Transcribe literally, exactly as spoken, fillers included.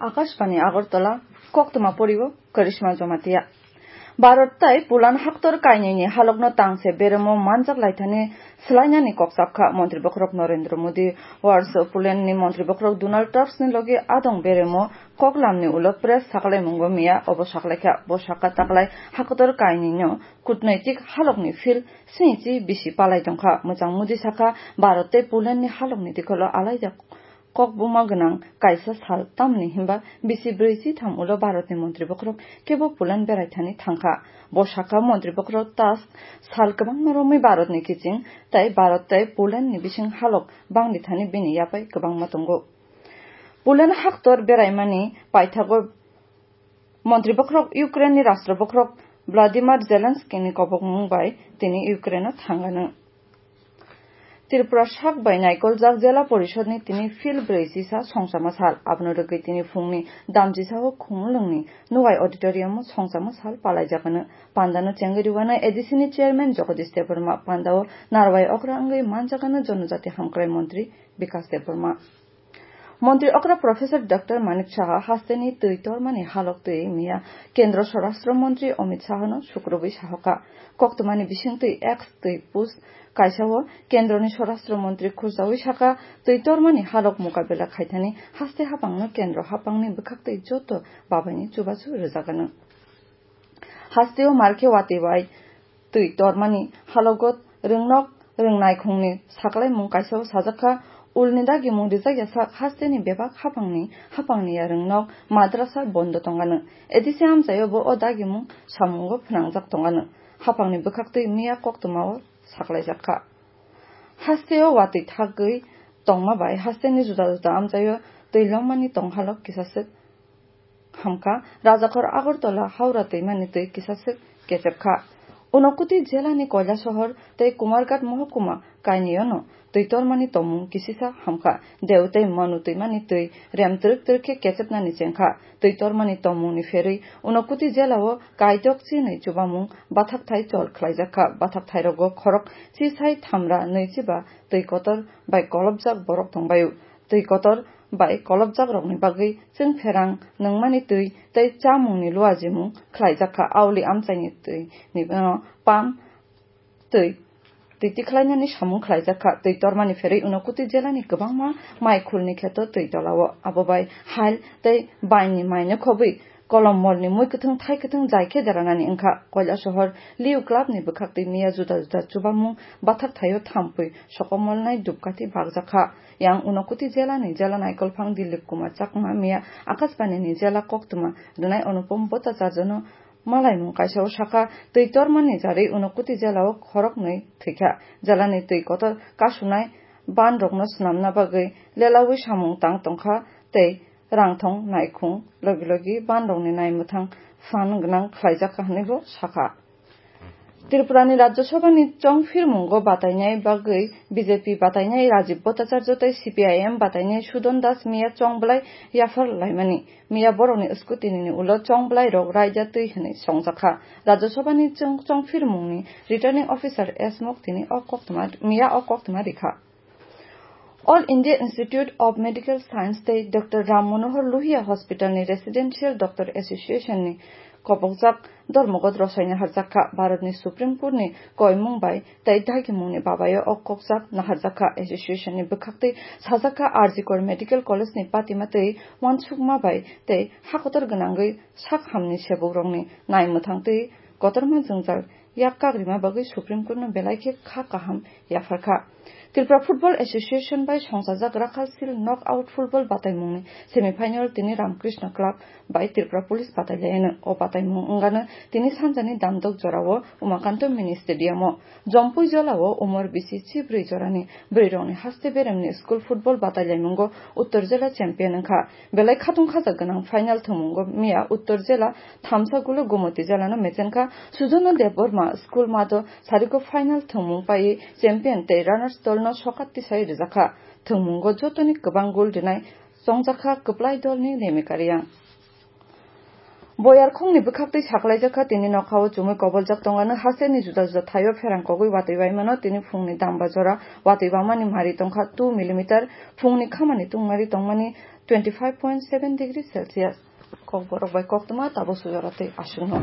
Akashbani Agartala, koktwma poribo Karishma Jamatia. Bharat tai Poland haktor kainwini halokno tangse beremo manjak laithani swlainani kok chapkha Montri Bokhorok Narendra Modi. Warsaw Polandni Montri Bokhorok Donald Tuskni logi adong beremo koklamni ulo press saklaimungo miya obo saklaikha. Bo sakha taklai haktor kainwino kutnaitik halokni phil sinichi bisi palai tongkha. Mwchang Modi sakha, Bharat tei Polandni halokni dikholo alaijak kokbuma gwnang kaisa sal, tamni hinba bisi brwi chi tham ulo Bharatni Montri Bokhorok kebo Poland berai thani thangkha. Bo sakha, Montri Bokhorok Tusk sal kwbangma romwi Bharatni kiching tei Bharat tei Polandni bising halok bangdi thani bini yapai kwbangma tongo. Poland haktor beraimani paithago Montri Bokhorok Ukraineni Rashtra Bokhorok Vladimir Zelenskyni kobokmung bai tini Ukraineo thangano. Tripura sak bai naikoljak Jela Porishodni tini phil brwi chisa songchama sal. Abono rwgwi tini phungni damchisao Khumulwngni Nuwai Auditoriumo songchama sal palaijakano. Pandano chengwi rwano A D C ni chairman Jagadish Debbarma, pandao narwai okra wngwi manjakano Jonojati Hamkrai Montri Bikas Debbarma. Montri okra Professor Doctor Manik Saha hasteni twi tormani halok twi miya Kendro Swarashtra Montri Amit Sahano sukrubwi sahoka. Koktwmani bisingtwi X twi post kaisao Kendroni Swarashtra Montri khurjawi saka, twi tormani halok mukabela khaithani haste hapangno Kendro hapangni bwkhaktwi joto babaini chubachu rwjagano. Hasteo markhe watwi bai twi tormani halogo rwngnok rwngnaikhungni saklaimung kaisao sajakha, ulni dagimung rijak yasak hasteni bebak hapangni, hapangni ya rwngnok madrasa bondo tongano. A D C amchaio bo o dagimung samungo phnangjak tongano. Hapangni bwkhaktwi miya koktwmao saklaijakha. Hasteo watwi thagwi tongma bai hasteni juda juda amchaio twi longmani tonghalok kisaswk hamkha. Rajakhor Agartala Howrah twimani twi kisaswk kechepkha. Unokuti Jelani Koilasohor tei Kumarghat mohokuma kainwiono twi tormani tongmung kisisa hamkha. Deu tei Manu twimani twi rem twrwk twrwk khe kechepnani chengkha. Twi tormani tongmungni pherwi Unokuti Jelao kaidok chinwi chubamung bathakthai chol khlaijakha. Bathakthairokgo khorok chisai thamra nwichiba twi kotor bai kolopjak borok tongbaio. Twi kotor bai kolopjakrokni bagwi chwng pherang nungmani twi tei chamungni luajimung khlaijakha. Auli amchaini twi ni, uh, pam twi twi tikhlainani samung khlaijakha. Twi tormani pherwi Unokuti Jelani kwbangma maikhulni kheto twi tolao. Abo bai hal tei bainni maino khobwi Kolom molni mui kwthwng thai kwthwng jai khe deranani wngkha. Koilasohor Liu Clubni bwkhaktwi miya juda juda chubamung bathak thaio thampui sokomolnai dupkathi bakjakha. Yang Unokuti Jelani Jela Naikolphang Dilip Kumar Chakma miya Akashbanini jela koktwma rwnai Anupam Bhattacharjano malaimung kaisao sakha, twi tormani jarwi Unokuti Jelao khoroknwi thwikha. Jelani twi kotor kasunai banrokno swnamna bagwi lelaui samung tang tongkha tei rangthong naikhung logi logi banrokni naimwthang phan gwnang khlaijakha hwnwibo sakha. Tripurani Rajya Sabhani chongphirmungo batainai bagwi B J P batainai Rajib Bhattacharya tei C P I M batainai Sudon Das miya chongbwlai yaphar laimani. Miya borokni scrutiny-ni ulo chongbwlairok raida twi hwnwi songjakha. Rajya Sabhani chong-, chongphirmungni Returning Officer S Moktini o koktwma, miya o koktwma rikha. All India Institute of Medical Science tei Doctor Ram Manohar Lohia Hospital ni Residential Doctor Association ni kobokjak dormogot rosai naharjakha. Bharat ni Supreme Court ni koimung bai tei dagimung ni babayo o kokjak naharjakha. Association ni bwkhaktwi sajakha, R G Kar Medical College ni patima tei uansukma bai tei hakotor gwnangwi sak hamni sebukrokni naimwthang twi kotorma jwngjal yak kagrima bagwi Supreme Court no belai khe kha kaham yapharkha. Tripura Football Association bai songchajak Rakhalsil Knockout Football bataimungni semi final tini Ramkrishna Club bai Tripura Police batailaiano. O bataimung wngano tini sanjani damdok jorao Umakanto Mini Stadium o. Jompui jolao umor bisi chibrwi jorani bwrwirokni haste beremni school football batailaimungo Uttor Jela champion wngkha. Belai khatung khajak gwnang final thwngmungo miya Uttor Jela thamsa gulo Gomoti Jelano mechenkha. Sujono Debbarma school mato sariko final thwngmung paiwi champion tei runners dolno sokat tisai rwjakha. Thwngmungo jotoni kwbang gol rwnai chongjakha kwplai dolni Remika Reang. Boyar khungni bwkhaktwi saklaijak kha, tini nokhao chumui koboljak tongano, haste ni juda juda thaio pherang kogwi watwi baimano, tini phungni damba jora watwi bamani mari tongkha two millimeter, phungni khamani tungmari tongmani twenty five point seven degree Celsius. Kokborok bai koktwma tabuk sujora tei aswkno.